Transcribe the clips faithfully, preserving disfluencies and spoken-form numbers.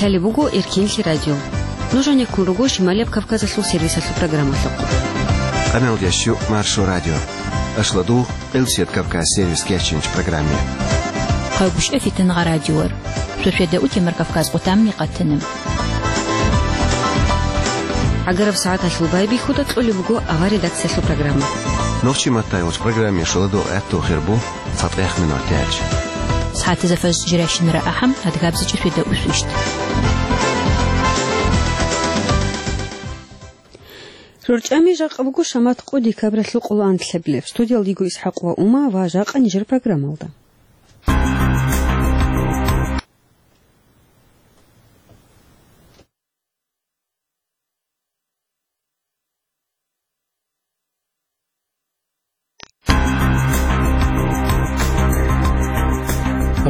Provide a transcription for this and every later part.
Лъалеб буго Эркенлъи радио. Нуж гьанир ккун руго Шималияб Кавказалъул сервисалъул программалъухъ. Къаналда щу Маршо радио. Ашладу Къилсият Кавказ сервис кечинч программе. Къайгъушев Фитнагъа радиор. Шошеда утемар Кавказ къутамни къатанам. Агараб сагӀаталъул байбихьуда кьолеб буго авар редакциялъул программа. Нохчи матайулч программе шоладу гӀатту хирбу. ЦатӀех минутач. СагӀатизе фажр жирашинара ахӀам, адгабзичӀи шведа усвищ. РорчӀами жакъа буго шамат къу декабралъул къоло анлъабилеб. Студиялда йиго ИсхӀакъ ва Ума ва жакъа нижер программалда.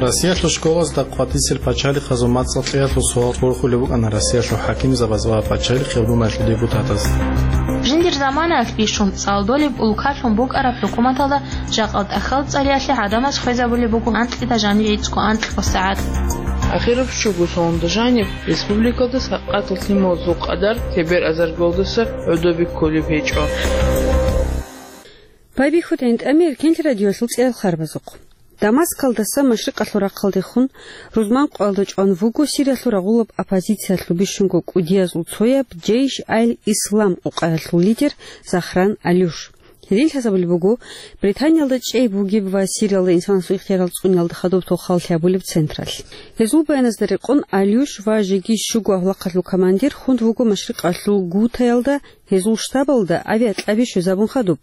Россиялъул школазда къватӀисел пачалихъазул мацӀал кьеялъул суал борхулеб букӀана Россиялъул хӀакимзабаз ва пачалихъ гьеб думаялъул депутатаз. Жиндир заманаялъ бищун цӀалдолеб улкалъун букӀараб хӀукуматалда жакъа тӀахьал цӀалиялъе гӀадамаз хвезабулеб буго анкьида жаниб гӀицӀго анкьго сагӀат. Ахираб щуго салонда жаниб республикалда сакъатал лъималазул къадар тебер азаргалдаса гӀодобе кколеб гьечӀо. Байбихьуда гӀинтӀами Эркенлъи радиоялъул цӀеял харбазухъ. Дамаскалдаса машрикъалъул рахъалдехун рузман къоялда чӀван вуго Сириялъул рагъулаб оппозициялъул бищунго кӀудиязул цояб Джейш аль-Ислам къукъаялъул лидер Захран Алюш. Гьедин лъазабулеб буго, Британиялда чӀей бугеб ва Сириялда инсанасул ихтиярал цӀуниялда хадуб толхаллъи гьабулеб централъ. Гьезул баяназда рекъон, Алюш ва жеги щуго авлахъалъул командир хун вуго машрикъалъул Гутаялда, гьезул штабалда авиакьаби щвезабун хадуб.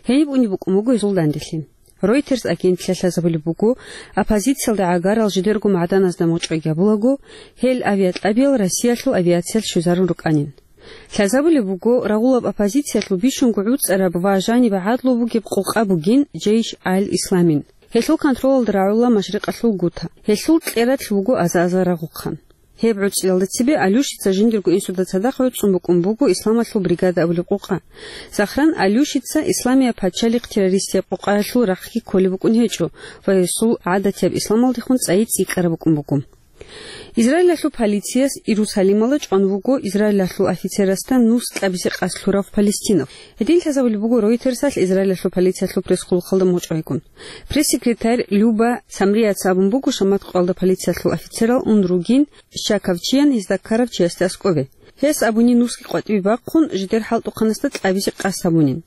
Гьениб унеб букӀун буго гьезул данделъи. Reuters агентлъиялъ лъазабулеб буго, оппозициялда гӀагарал жидерго магӀданазда мочӀой гьабулаго, гьел авиакьабиял Россиялъул авиациялъ щвезарун рукӀанин. Лъазабулеб буго, рагъулаб оппозициялъул бищунго гӀуцӀараб ва жаниб гӀадлу бугеб къукъа бугин Джейш аль-Исламин. Гьелъул контролалда рагӀула машрикъалъул Гута. Гьелъул кьерадлъи буго аза-азар рагъухъан. Гьеб гӀуцӀиялда цебе Алюшица жиндирго инсуда цадахъ гӀуцӀун букӀун буго Исламалъул бригада абулеб къукъа. Захран Алюшица Исламияб пачалихъ террористияб къукъаялъул рахъги кколеб букӀун гьечӀо ва гьесул гӀадатияб исламалдехун цӀайи цӀикӀкӀараб букӀун буго. Израилалъул полицияс Иерусалималда чӀван вуго Израилалъул офицерасда нус кьабизе къасд лъурав палестинав. Гьедин лъазабулеб буго Ройтерсалъ Израилалъул полициялъул пресс-хъулухъалда мочӀайгун. Пресс-секретарь Люба Самрияца абун буго, шамат къоялда полициялъул офицерал ун ругин щаковчиян гьезда ккарав чиясде аскӀобе. Гьес абуни нусги къватӀибе бахъун, жидер хӀалтӀухъанасда кьабизе къасд гьабунин.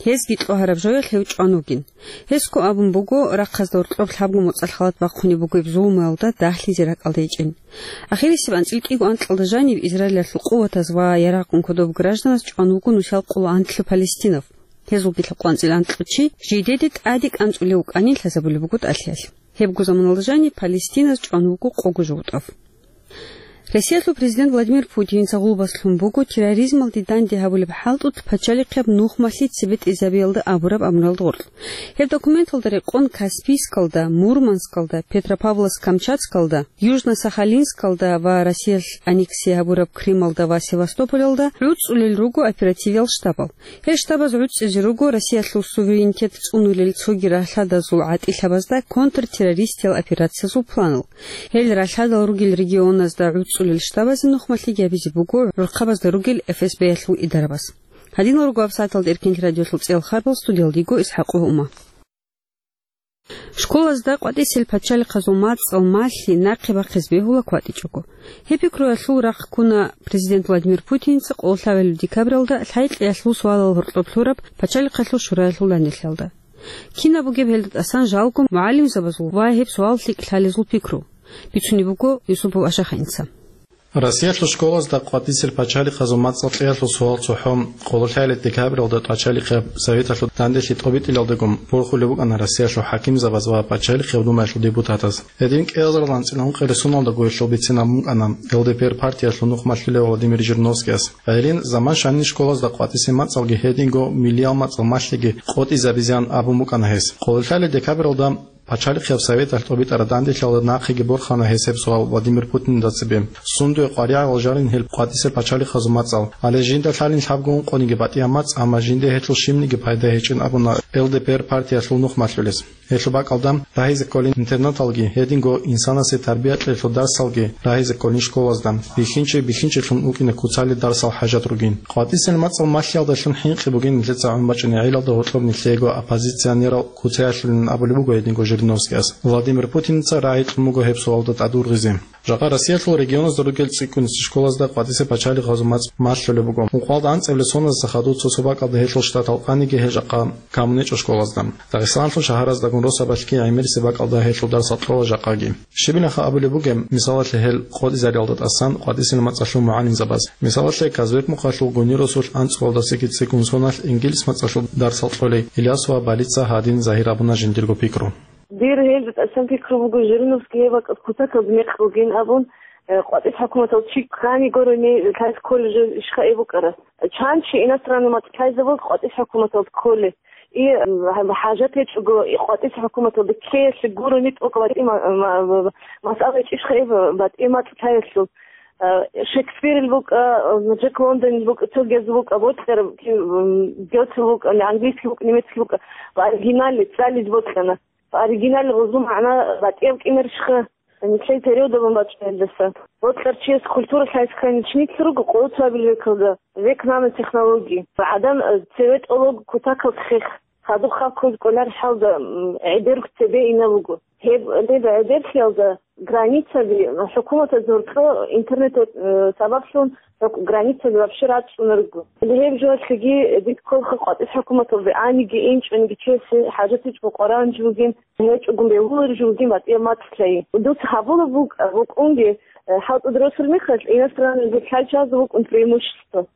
Гьезги кьогьараб жоялъ гьев чӀван вугин. Гьесго абун буго, рахъазда гьоркьоб лъабго моцӀалъ халат бахъунеб бугеб зулмуялда дагьлъизе ракӀалда гьечӀин. Ахирисеб анцӀил кӀиго анкьалда жаниб Израилалъул къуватаз ва ярагъ-гӀун кодоб гражданаз чӀван вуго нусал къоло анлъи палестинав. Гьезулги лъабкъоялда анкьго чи жидеде тӀаде кӀанцӀулев вукӀанин лъазабулеб буго тӀалъиялъ. Гьебго заманалда жаниб палестиназ чӀван вуго къого жугьутӀав. Россиялъул президент Владимир Путинца гъулбас лъун буго терроризмалде данде гьабулеб хӀалтӀулъ пачалихъияб нухмалъи цебетӀезабиялда абураб амруялда гъоркь. Гьеб документалда рекъон Каспийскалда, Мурманскалда, Петропавловск-Камчатскалда, Южно-Сахалинскалда ва Россиялъ аннексия гьабураб Крымалда ва Севастополалда гӀуцӀулел руго оперативиял штабал. Гьел штабаз гӀуцӀизе руго Россиялъул суверенитет цӀунулел цоги ралъадазул гӀатӀилъабазда контртеррористиял операциязул планал. Гьел ралъадал ругел регионазда гӀуцӀулел штабазе нухмалъиги гьабизе буго гӀурхъабазда ругел Эф Эс Б-ялъул идарабаз. Гьадинал руго гьаб сагӀаталда Эркенлъи радиолъул цӀеял харбал, студиялда йиго ИсхӀакъ ва Ума. Школазда къватӀисел пачалихъазул мацӀал малъи нахъе бахъизе бегьула кватӀичӀого. Гьеб пикруялъул рахъ ккуна президент Владимир Путинца къоло лъабабилеб декабралда лъай-кьеялъул суалал гьоркьоб лъураб пачалихъалъул шураялъул данделъиялда. Кинаб бугеб гьелда тӀасан жалго мугӀалимзабазул ва гьеб суал лъикӀ лъалезул пикру? Бицунеб буго Юсупов Ашаханица. Россиялъул школазда къватӀисел пачалихъазул мацӀал кьеялъул суал цохӀо къоло лъабабилеб декабралда пачалихъияб советалъул данделъи тӀобитӀилалдагун борхулеб букӀана Россиялъул хӀакимзабаз ва пачалихъияб думаялъул депутатаз. Гьедин кӀиазарилан анцӀила ункъабилеб соналда гуялъул бицина букӀана Л Д П Р партиялъул нухмалъулев Владимир Жириновскияс. Гьедин заман щванин школазда къватӀисел мацӀалги гьединго миллиял мацӀал малъиги къотӀизабизеян абун букӀана гьес. Къоло лъабабилеб декабралда Пачалихъияб советалъ тӀобитӀараб данделъиялда нахъеги борхана гьесеб суал Владимир Путинда цебе. Сундуе къваригӀел жалин гьел къватӀисел пачалихъазул мацӀал, гьале жинда лъалин лъабго ункъониги батӀияб мацӀ, амма жинда гьелъул щибниги пайда гьечӀин абуна Л Д П Р партиялъул нух малъулес. Гьелъул бакӀалда рагьизе кколин интернаталги, гьединго инсанасе тарбия кьеялъул дарсалги рагьизе кколин школазда, бихьинчи бихьинчилъун вукӀине куцалел дарсал хӀажат ругин. КъватӀисел мацӀал малъиялдалъун хӀинкъи бугин нилъеца гӀун бачӀунеб гӀелалда гьоркьоб нилъеего оппозиционерал куцаялъулин абулеб буго гьединго Жириновскияс. Владимир Путинца рагӀи кьун буго гьеб суалда тӀадургъизе. Жакъа Россиялъул регионазда ругел цӀикӀкӀунси школазда къватӀисе пачалихъазул мацӀ малъулеб буго. Ункъоялда анцӀабилеб соналдаса хадув цо-цо бакӀалда гьелъул штатал къаниги гьел жакъа камунечӀо школазда. Дагъистаналъул шагьараздагун росабалъги гӀемерисеб бакӀалда гьелъул дарсал кьола жакъаги. Щибилаха абулеб бугеб, мисалалъе, гьел къотӀизариялда тӀасан къватӀисел мацӀалъул мугӀалимзабаз. Мисалалъе, Казбек-Мухъалъул Гунир росулъ анцӀбалдасаги цӀикӀкӀун соналъ ингилис мацӀалъул дарсал кьолей Ильясова Балица гьадин загьир абуна жиндирго пикру. Дир гьелда тӀасан пикру буго, Жириновский гьеб бакӀалъ кутакаб мекъ бугин абун, э, къватӀис хӀукуматал чи ккани гурони лъайс колледжалъ ишха эбукӀара. Чан чи иностранный мацӀ лъайзабаз къватӀис хӀукуматал кколе. И, м, хӀажат гьечӀого, и къватӀис хӀукуматалда ккеялъе гурони тӀокӀ батӀи ма-, ма-, ма-, масъала гьечӀищха эб батӀи мацӀ лъаялъул. Э, Шекспирил букӀа, э, Джек Лондонил букӀа, цогияз букӀа, бокьараб, ки, м, Гёте букӀа, английский букӀа, немецкий букӀа, ва оригиналли цӀализ бокьана. Оригиналли гъузул магӀна батӀияб кӀимерщха, нилъей периодабун бачӀунелдаса. Бокьарчияс культура лъайсхъайни чинитлъ руго къоло цоабил векалда, век нано технологии. ГӀадан, э, цеве тӀолого кутакал хех, хадуб хал ккоз кӀолар хӀалда, м, гӀедер цебе ина буго. Гьеб, гьеб гӀедерлъиялда границаби, хӀукуматаз гьоркьо интернет, э, сабаблъун гьоркь-, границаби вообще рацӀцӀунарго. Гьеб жоялъеги дид кколха къватӀис хӀукуматалде аниги, инчӀониги чиясе хӀажат гьечӀого къваригӀунеб бугин, гьечӀогун бегьулареб бугин батӀияб мацӀ лъай. Дуца гьабулеб букӀ-, букӀунги, э, хӀалтӀуда росулеб мехалъ, иностранный лъай чиясда букӀун преимущество.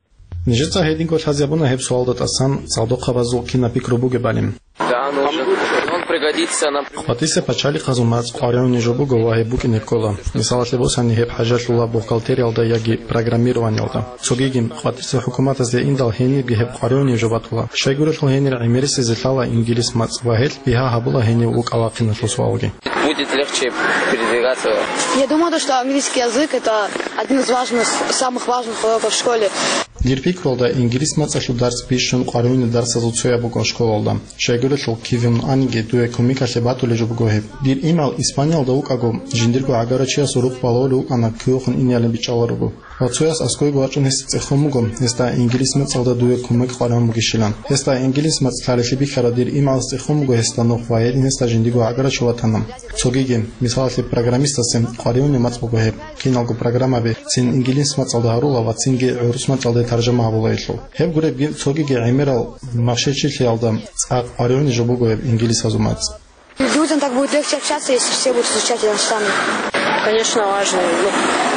Нижеца гьединго лъазе гьабуна гьеб суалда тӀасан цӀалдохъабазул кинаб пикру бугебали. Да, нужен. Он пригодится нам. КъватӀисе пачалихъазул мацӀ къваригӀуней жо буго ва гьеб букӀине ккола. Мисалалъе босани, гьеб хӀажалъула бухгалтериялда яги программированиялда. Цогиги, къватӀисе хӀукуматазде индал гьенибги гьеб къваригӀуней жо батула. Щайгурелъул гьенир гӀемерисезе лъала ингилис мацӀ ва гьелъ бигьа гьабула гьенив вукӀа-вахъиналъул суалги. Будет легче передвигаться. Я думаю, то, что английский язык — это один из важных, самых важных уроков в школе. Дир пикрулда, ингилис мацӀалъул дарс бищун къваригӀунел дарсазул цояб буго школалда. Щайгурелъул кивин аниги, дуе кумекалъе батулеб жо буго гьеб. Дир имгӀал Испаниялда вукӀаго, жиндирго гӀагарачиясул рукъ балагьулев вукӀана кивехун инеялин бичӀчӀаларуго. Ва цояс аскӀойго вачӀун гьесда цӀехун буго, гьесда ингилис мацӀалда дуе кумек къваригӀун бугищилан. Гьесда ингилис мацӀ лъалелъи бихьараб дир имгӀалас цӀехун буго гьесда нух ва гьедин гьесда жиндирго гӀагарачи ватана. Цогиги, мисалалъе, программистасе къваригӀунеб мацӀ буго гьеб. Киналго программаби цин ингилис мацӀалда гьарула ва цинги гӀурус мацӀалде таржама гьабула гьелъул. Гьеб гуребги цогиги гӀемерал махщел-чилъиялда цӀакъ къваригӀуней жо буго гьеб ингилисазул мацӀ. Людям так будет легче общаться, если все будут изучать иностранный. Конечно, важно.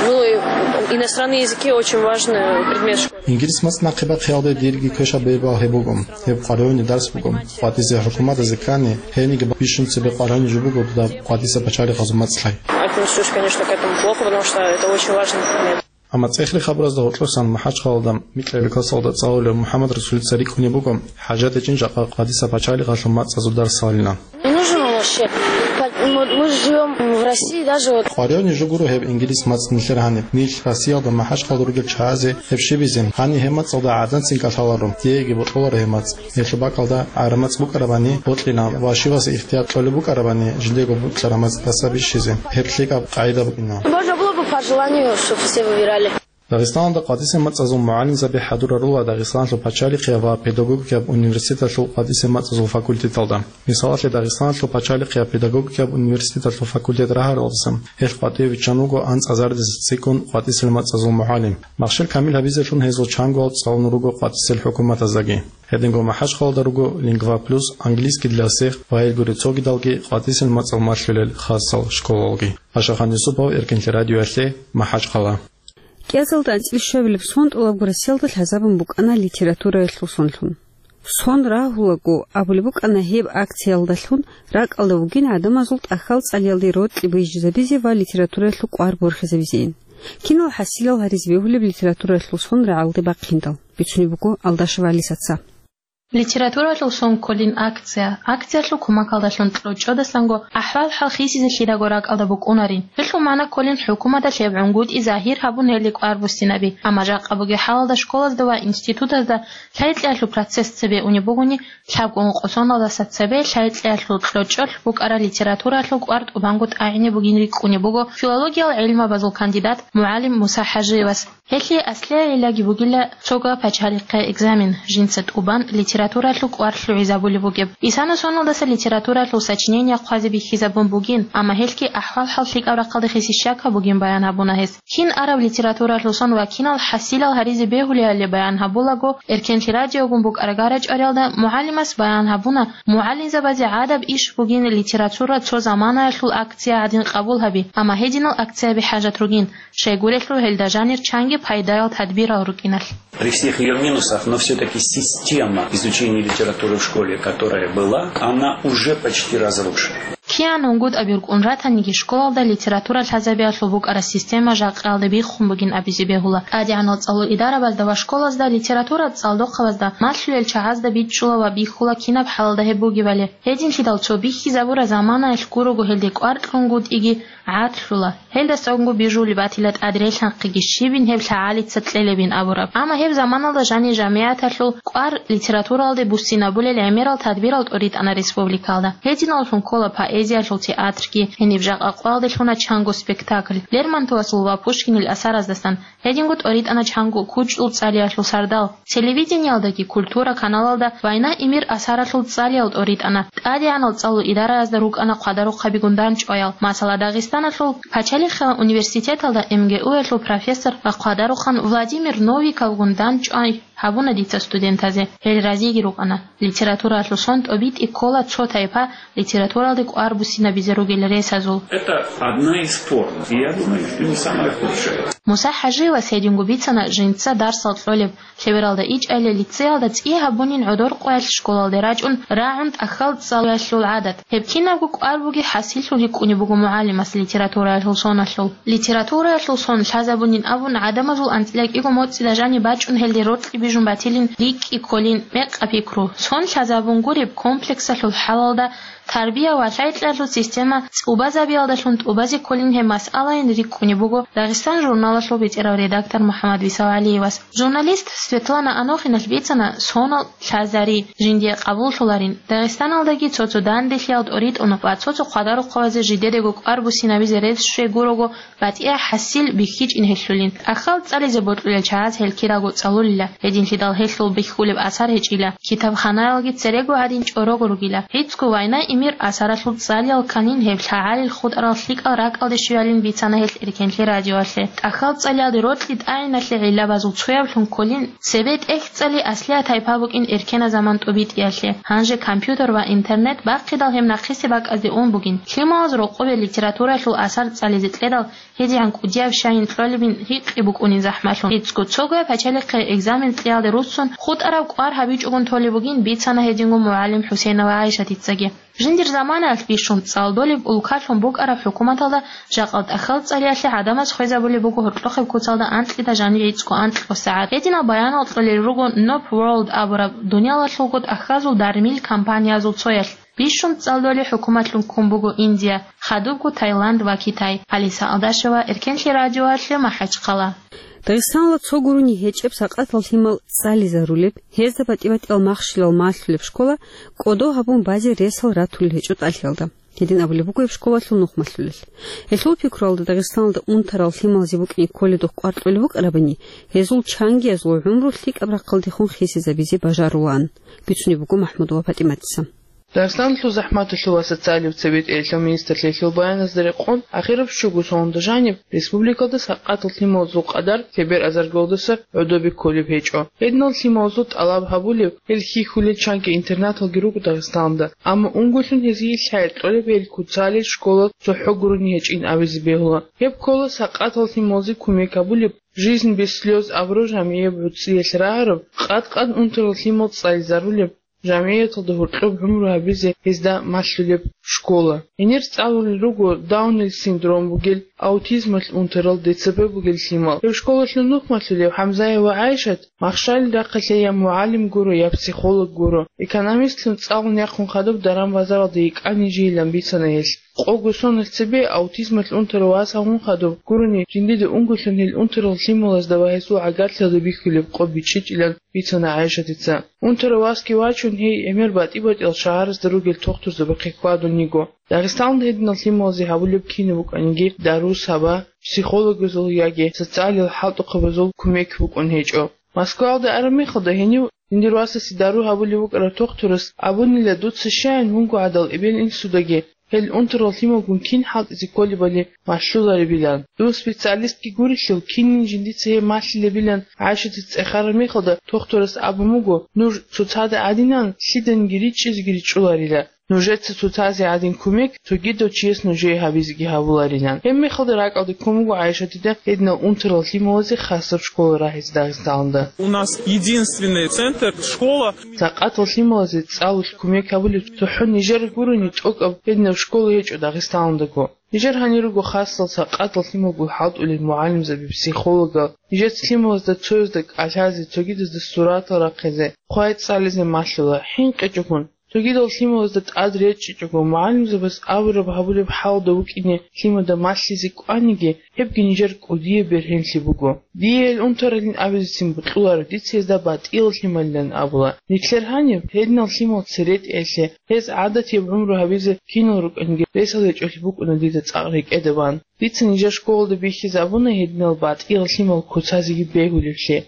Ну, ну и иностранные языки очень важный предмет в школе. Ингилис мацӀ нахъе бахъиялде дирги квешаб бебал гьеб буго. Гьеб къваригӀуней дарс буго. КъватӀисе хӀукуматазе ккани, гьениги бищун цебе къваригӀуней жо буго дуда къватӀиса пачалихъазул мацӀ лъай. Отнесусь, конечно, к этому плохо, потому что это очень важный предмет. Амма цӀехлъи хабаразда гьоркьосан МахӀачхъалалда микьабилеб классалда цӀалулев МухӀаммадрасулица рикӀкӀунеб буго, хӀажат гьечӀин жакъа къватӀиса пачалихъалъул мацӀазул дарс лъалилан. Не нужен он вообще. По-, мы, мы живём в России, даже вот. КъваригӀуней жо гуро гьеб ингилис мацӀ нилъер гьаниб. Нилъ Россиялда МахӀачхъалда ругел чагӀазе гьеб щибизе, гьаниб гьеб мацӀалда гӀадамцин кӀалъаларо, диеги бокьуларо гьеб мацӀ. Гьелъул бакӀалда гӀараб мацӀ букӀарабани, бокьилан ва щивасе ихтияр кьолеб букӀарабани, жиндего бокьараб мацӀ тӀаса бищизе, гьеб лъикӀаб къагӀида букӀина. Можно было бы по желанию, чтоб все выбирали. Дагъистаналда къватӀисел мацӀазул мугӀалимзаби хӀадурарула Дагъистаналъул пачалихъияб ва педагогикаб университеталъул къватӀисел мацӀазул факультеталда. Мисалалъе, Дагъистаналъул пачалихъияб педагогикаб университеталъул факультет рагьаралдасан гьелъ къватӀиве виччан вуго анцӀазардаса цӀикӀкӀун къватӀисел мацӀазул мугӀалим. Махщел камил гьабизелъун гьезул чангоял цӀалун руго къватӀисел хӀукуматаздаги. Гьединго МахӀачхъалалда руго «Лингва Плюс», «Английский для всех» ва гьелгуреб цогидалги къватӀисел мацӀал малъулел хасал школалги. Ашахан Юсупов, Эркинлъи радиоялъе, МахӀачхъала. КӀиазалда анцӀила щуабилеб сон тӀолабго Россиялда лъазабун букӀана литератураялъул сонлъун. Сон рагьулаго абулеб букӀана гьеб акциялдалъун ракӀалда вугин гӀадамазул тӀахьал цӀалиялде рокьи бижизабизе ва литератураялъул кӀвар борхизабизейин. Кинал хӀасилал гьаризе бегьулеб литератураялъул сон рагӀалде бахъиндал, бицунеб буго Алдашева Алисаца. Литературалъул сон кколин акция. Акциялъул кумакалдалъун кьучӀодасанго ахӀвал-хӀал хисизе лъидаго ракӀалда букӀунарин. Гьелъул магӀна кколин хӀукуматалъ гьеб гӀунгутӀи загьир гьабун гьелде кӀвар буссинаби. Амма жакъа бугеб хӀалалда школазда ва институтазда лъай-кьеялъул процесс цебе унеб бугони, лъабго ункъо соналдаса цебе лъай-кьеялъул кьучӀолъ букӀараб литературалъул кӀвар тӀубанго тӀагӀине бугин рикӀкӀунеб буго филологиял гӀилмабазул кандидат мугӀалим Муса ХӀажиевас. Гьелъие аслияб гӀиллаги бугила цого пачалихъе экзамен, жинца тӀубан литературалъул кӀвар лъугӀизабулеб бугеб. Исана соналдаса литературалъул сочинение хъвазе бихьизабун бугин, амма гьелъги ахӀвал-хӀал лъикӀаб рахъалде хисизе щай гьабун бугин баян гьабуна гьес. Кин араб литературалъул сон ва кинал хӀасилал гьаризе бегьулебали баян гьабулаго, Эркенлъи радиогун букӀараб гарачӀвариялда мугӀалимас баян гьабуна, мугӀалимзабазе гӀадаб иш бугин литература цо заманаялъул акция гӀадин къабул гьаби, амма гьединал акцияби хӀажат ругин, щайгурелъул гьелда жанир чанги пайдаял тадбирал рукӀиналъ. При всех её минусах, но всё-таки система изучения литературы в школе, которая была, она уже почти разрушена. КигӀан унгутӀаби рукӀун ратаниги, школалда литература лъазабиялъул букӀараб система жакъаялда биххун бугин абизе бегьула. ТӀадегӀанал цӀалул идарабазда ва школазда литература цӀалдохъабазда малъулел чагӀазда бичӀчӀула ва бихьула кинаб хӀалалда гьеб бугебали. Гьединлъидал цо бихьизабураб заманаялъ гурого гьелде кӀвар кьунгутӀиги гӀадлъула. Гьелдасанго бижулеб батила тӀадрелъанхъиги щибин гьеб лъагӀалица кьелебин абураб. Амма гьеб заманалда жанир жамигӀаталъул кӀвар литературалде буссинабулел гӀемерал тадбирал тӀоритӀана республикалда. Гьединаллъун ккола поэзиялъул театрги, гьениб жакъа къоялде лъуна чанго спектакль, Лермонтовасул ва Пушкинил асараздасан, гьединго тӀоритӀана чанго кучӀдул цӀалиялъул сардал. Телевидениялдаги культура каналалда «Война и мир» асаралъул цӀалиял тӀоритӀана. ТӀадегӀанал цӀалул идараязда рукӀана хъвадарухъабигун дандчӀваял. Масала, Дагъистаналъул пачалихъалъул университеталда МГУ-ялъул профессор ва хъвадарухъан Владимир Новиковгун дандчӀвай гьабуна дица студентазе. Гьел разиги рукӀана. Литературалъул сон тӀобитӀи ккола цо тайпа литературалде кӀвар буссинабизе ругел ресазул. Это одна из форм. И я думаю, что не самая худшая. Муса ХӀажиевас гьединго бицана жинца дарсал кьолеб, лъебералда ичӀайилан лицеялда цӀи гьабунин гӀодор къоялъ школалде рачӀун рагӀун тӀахьал цӀалулелъул гӀадат. Гьеб кинабго кӀвар бугеб хӀасиллъун рикӀкӀунеб буго мугӀалимас литератураялъул соналъул. Литератураялъул сон лъазабунин абун, гӀадамазул анцӀила кӀиго моцӀила жаниб бачӀун гьелде рокьи бижун батилин рикӀкӀи кколин мекъаб пикру. Сон лъазабун гуреб комплексалъул хӀалалда тарбия ва лъай-кьеялъул система цӀубазабиялдалъун тӀубазе кколин гьеб масъалайин рикӀкӀунеб буго «Дагъистан» журналалъул бетӀерав редактор МухӀаммад Висалгьалиевас. Журналист Светлана Анохиналъ бицана сонал лъазари, жиндие къабуллъуларин, Дагъистаналдаги цо-цо данделъиял тӀоритӀун ва цо-цо хъвадарухъабазе жидедаго кӀвар буссинабизе рес щвей гурого батӀияб хӀасил бихьичӀин гьелъулин. ТӀахьал цӀализе бокьулел чагӀаз гьел кираго цӀалулила, гьединлъидал гьелъул бихьулеб асар гьечӀила. Китабханаялги церего гьадин чӀорого ругила. ГӀицӀго «Война и мир» асаралъул цӀалиял канин гьеб лъагӀалил хутӀарал лъикӀал ракӀалде щвеялин бицана гьелъ Эркенлъи радиоялъе. ТӀахьал цӀалиялде рокьи тӀагӀиналъе гӀиллабазул цояблъун кколин, цебе тӀехь цӀали аслияб тайпа букӀин эркенаб заман тӀубитӀиялъе. Гьанже компьютер ва интернет бахъидал гьеб нахъисеб бакӀазде ун бугин. Лъималаз рокъобе литературалъул асар цӀализе кьедал гьедигӀан кӀудияб щайин кьолебин гьикъи букӀунин захӀмалъун. ГӀицӀго цогояб пачалихъе экзамен кьеялде руссун хутӀараб кӀвар гьабичӀогун толеб бугин бицана гьединго мугӀалим ХӀусейнова ГӀайшатицаги. Жиндир заманаялъ бищун цӀалдолеб улкалъун букӀараб хӀукуматалда жакъа тӀахьал цӀалиялъе гӀадамаз хвезабулеб буго гьоркьохъеб куцалда анкьида жанив гӀицӀго анкьго сагӀат. Гьединал баянал кьолел руго Nob World абураб дуниялалъулго тӀахьазул дармил компаниязул цоялъ. Бищун цӀалдолеб хӀукуматлъун ккун буго Индия, хадубго Таиланд ва Китай. Алиса Алдашева, Эркенлъи радиоялъе, МахӀачхъала. Дагъистаналда цо гурони гьечӀеб сакъатал лъимал цӀализарулеб, гьезда батӀи-батӀиял махщелал малъулеб школа кӀодо гьабун базе ресал ратулел гьечӀо тӀалъиялда. Гьедин абулеб буго гьеб школалъул нух малъулел. Гьелъул пикруялда Дагъистаналда унтарал лъималазе букӀине кколедухъ кӀвар кьолеб букӀарабани, гьезул чангиязул гӀумру лъикӀаб рахъалдехун хисизабизе бажарулаан, бицунеб буго МахӀмудова ПатӀиматица. Дагъистаналъул захӀматалъул ва социалияб цебетӀералъул министрлъиялъул баяназда рекъон, ахираб щуго соналда жаниб республикалда сакъатал лъималазул къадар лъебер азаргалдаса гӀодобе кколеб гьечӀо. Гьединал лъималазул тӀалаб гьабулеб, гьел хьихьулел чанги интернаталги руго Дагъистаналда, амма унголъун гьезие лъай кьолеб гьел куцалел школа цохӀо гурони гьечӀин абизе бегьула. Гьеб ккола сакъатал лъималазе кумек гьабулеб, «Жизнь без слёз» абураб жамигӀияб гӀуцӀиялъ рагӀараб, къад-къад унтарал лъимал цӀализарулеб, жамгӀияталда гьоркьоб гӀумру гьабизе гьезда малъулеб школа. Гьенир цӀалулел руго Даунил синдром бугел, аутизмалъ унтарал, Д Ц П бугел лъимал. Гьеб школалъул нухмалъулев ХӀамзаева ГӀайшат махщалил рахъалъе я мугӀалим гуро, я психолог гуро. Экономистлъун цӀалун яхъун хадуб даран-базаралда йикӀани жийилан бицана гьелъ. Къого соналъ цебе аутизмалъ унтарав вас гьавун хадуб гурони, жиндида унголъун гьел унтарал лъималазда ва гьесул гӀагарлъиялда бихьулеб къо бичӀчӀичӀилан бицана ГӀайшатица. Унтарав васги вачун, гьей гӀемер батӀи-батӀиял шагьарасда ругел тухтурзабахъе хьвадун йиго. Дагъистаналда гьединал лъималазе гьабулеб кинаб букӀаниги, дару саба, психологазул яги социалил хӀалтӀухъабазул кумек букӀун гьечӀо. Москваялда араб мехалда гьенив жиндир васасе дару гьабулев вукӀарав тухтурас абунила, дуца щаян вуго гӀадал эбел-инсудаги гьел унтарал лъималгун кин хӀалтӀизе кколебали малъуларебилан. Дун специалистги гурелъул, кинин жиндица гьеб малъилебилан ГӀайшатица цӀехараб мехалда, тухтурас абун буго: «Нуж цоцазда гӀадинан лъиданиги ричӀчӀизеги ричӀчӀуларила. Нужеца цоцазе гӀадин кумек цогидав чияс нужее гьабизеги гьабуларилан». Гьеб мехалда ракӀалде ккун буго ГӀайшатида гьединал унтарал лъималазе хасаб школа рагьизе Дагъистаналда. У нас единственный центр, школа. Сакъатал лъималазе цӀалулъ кумек гьабулеб цохӀо нижер гурони тӀокӀаб гьединаб школа гьечӀо Дагъистаналдаго. Нижер гьанир руго хасал сакъатал лъималгун хӀалтӀулел мугӀалимзаби, психологал. Нижеца лъималазда цоязда кӀалъазе, цогидазда суратал рахъизе, хъвай цӀализе малъула, хӀинкъичӀогун. Цогидал лъималазда тӀад речӀчӀичӀого, мугӀалимзабаз абураб гьабулеб хӀалда вукӀине лъимада малъизе кӀваниги, гьебги нижер кӀудияб бергьенлъи буго. Дие гьел унтаралин абизецин бокьуларо, дица гьезда батӀиял лъималилан абула. Нилъер гьаниб гьединал лъимал церетӀеялъе, гьез гӀадатияб гӀумру гьабизе кинал рукӀаниги ресал гьечӀолъи букӀуна дида цӀакъ рекӀеда бан. Дица нижер школалда бихьизабуна гьединал батӀиял лъимал куцазеги бегьулевлъи.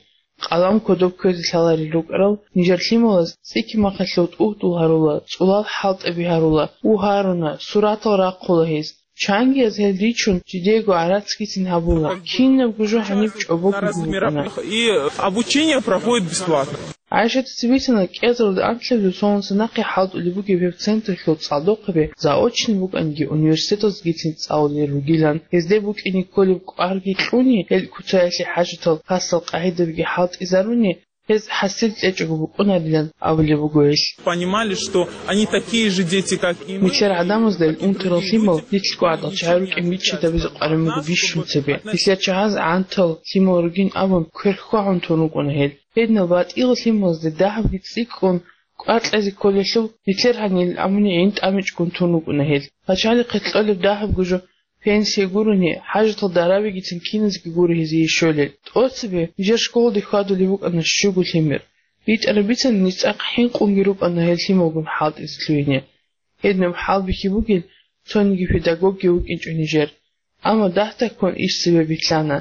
Къалам кодоб кквезе лъаларел рукӀарал нижер лъималаз цӀикӀкӀи махъалъув тӀугьдул гьарула, цӀулал хӀалтӀаби гьарула, у гьаруна, суратал рахъула гьез. Чангияз гьел ричун, жидеего гӀарацгицин гьабула. Кинабго жо гьаниб чӀобого гьукъана. И обучение проходит бесплатно. ГӀайшатица бицана, кӀиазарда анлъабилеб соналъ нахъе хӀалтӀулеб бугеб гьеб централъул цӀалдохъаби заочно букӀаниги, университеталдгицин цӀалулел ругилан, гьезде букӀине кколеб кӀварги кьуни, гьел куцаялъе хӀажатал хасал къагӀидабиги хӀалтӀизаруни, гьез хӀасил кьечӀого букӀунарилан абулеб буго гьелъ. Понимали, что они такие же дети, как и мы. Нилъер гӀадамазда гьел унтарал лъимал нилъго гӀадал чагӀи рукӀин биччатабизе къварин буго бищун цебе. Нилъер чагӀаз гӀантал лъимал ругин абун, кверхьвагьун тун рукӀуна гьел. Гьединал батӀиял лъималазда дагьабги цӀикӀкӀун кӀвар кьезе кколелъул, нилъер гьанил амуни гӀин тӀамичӀгун тун рукӀуна гьел. Пачалихъе кьолеб дагьабго жо пенсия гурони, хӀажатал дарабигицин киназги гуро гьезие щолел. ТӀоцебе нижер школалде хьвадулеб букӀана щуго лъимер. БитӀараб бицана, ниж цӀакъ хӀинкъунги рукӀана гьел лъималгун хӀалтӀизе лъугьине. Гьединаб хӀалбихьи бугел цониги педагогги вукӀинчӀо нижер. Амма дагь-дагьккун иш цебе билълъана.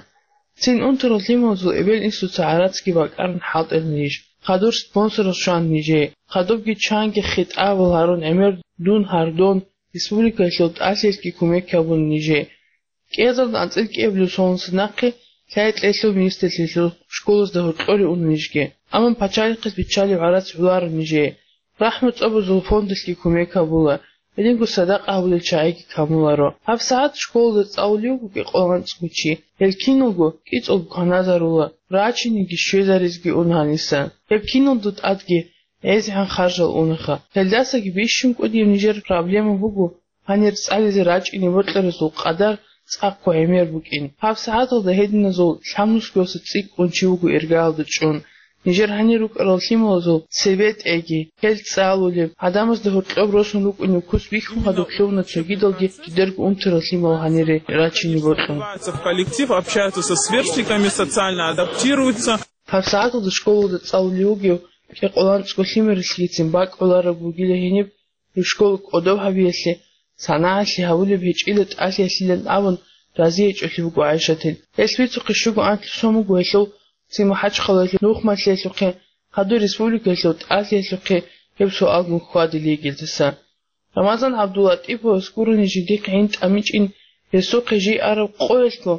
Цин унтарал лъималазул эбел-инсуца гӀарацги бакӀарун хӀалтӀила ниж. Хадур спонсорал щвана нижее. Хадубги чанги хитӀабал гьарун гӀемер дун гьардон, республикаялъул тӀалъиялъги кумек гьабуна нижее. КӀиазарда анцӀила кӀиабилеб соналъ нахъе лъай-лъелъул министрлъиялъул школазда гьоркьоре уна нижги. Амма пачалихъас биччалеб гӀарац гӀоларо нижее. РахӀму цӀобазул фондалъги кумек гьабула, гьединго садакъа гьабулел чагӀиги камуларо. ГьабсагӀат школалда цӀалулев вуго кӀикъоялда анцӀго чи. Гьел киналго кӀицӀулго кваназарула, рачиниги щвезаризги уна гьаниса. Гьеб киналго тӀадги гӀезегӀан харжал унаха. Гьелдасаги бищун кӀудияб нижер проблема буго гьанир цӀализе рачӀине бокьаразул къадар цӀакъго гӀемер букӀин. ГьабсагӀаталда гьединазул лъабнусгоялъул цӀикӀкӀун чи вуго иргаялда чӀун. Нижер гьанир рукӀарал лъималазул цебетӀеги, гьел цӀалулеб, гӀадамазда гьоркьоб росун рукӀунеб куц бихьун хадуб лъугьуна цогидалги жидерго унтарал лъимал гьанире рачине бокьун. В коллектив, общаются со сверстниками, социально адаптируются. ГьабсагӀаталда школалда цӀалулев вугев кӀикъоялда анцӀго лъимералъгицин бакӀ гӀолареб бугила гьениб, гьеб школа кӀодоб гьабиялъе, санагӀалъи гьабулеб гьечӀила тӀалъиялъилан абун, разиячӀолъи буго ГӀайшатил. Гьелъ бицухъе щуго анлъго сон буго гьелъул цин МахӀачхъалаялъул нухмалъиялъухъе, хадур республикаялъул тӀалъиялъухъе гьеб суалгун хьвадилей гьелдаса. Рамазан ГӀабдуллатӀиповас гурони жиндихъ гӀин тӀамичӀин, гьесухъе жий араб къоялъго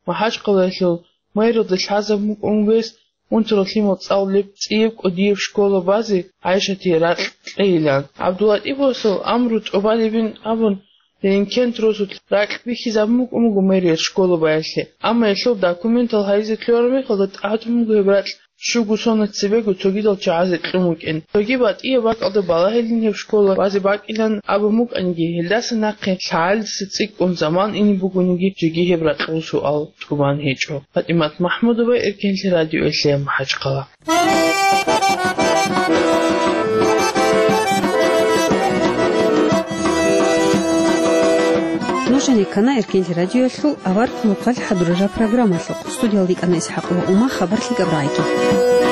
МахӀачхъалаялъул мэрилда лъазабун букӀун вес унтарал лъимал цӀалулеб цӀияб кӀудияб школа базе ГӀайшатие ракь кьейилан. ГӀабдуллатӀиповасул амру тӀубалебин абун, Ленингент росулъ ракь бихьизабун букӀун буго мэрияс школа баялъе. Амма гьелъул документал гьайизе кколареб мехалда тӀадун буго гьеб ракь щуго соналъ цебего цогидал чагӀазе кьун вукӀин. Цоги батӀияб бакӀалда балагьилин гьеб школа базе бакӀилан абун букӀаниги, гьелдаса нахъе лъагӀалиса цӀикӀкӀун заман ине бугониги, жеги гьеб ракьул суал тӀубан гьечӀо. ПатӀимат МахӀмудова, Эркенлъи радиоялъе, МахӀачхъала. Нуж гьанир ккана Эркенлъи радиоялъул авар хъулухъалъ хӀадурараб программалъухъ. Студиялда йикӀана ИсхӀакъ ва Ума, хабар лъикӀаб рагӀиги.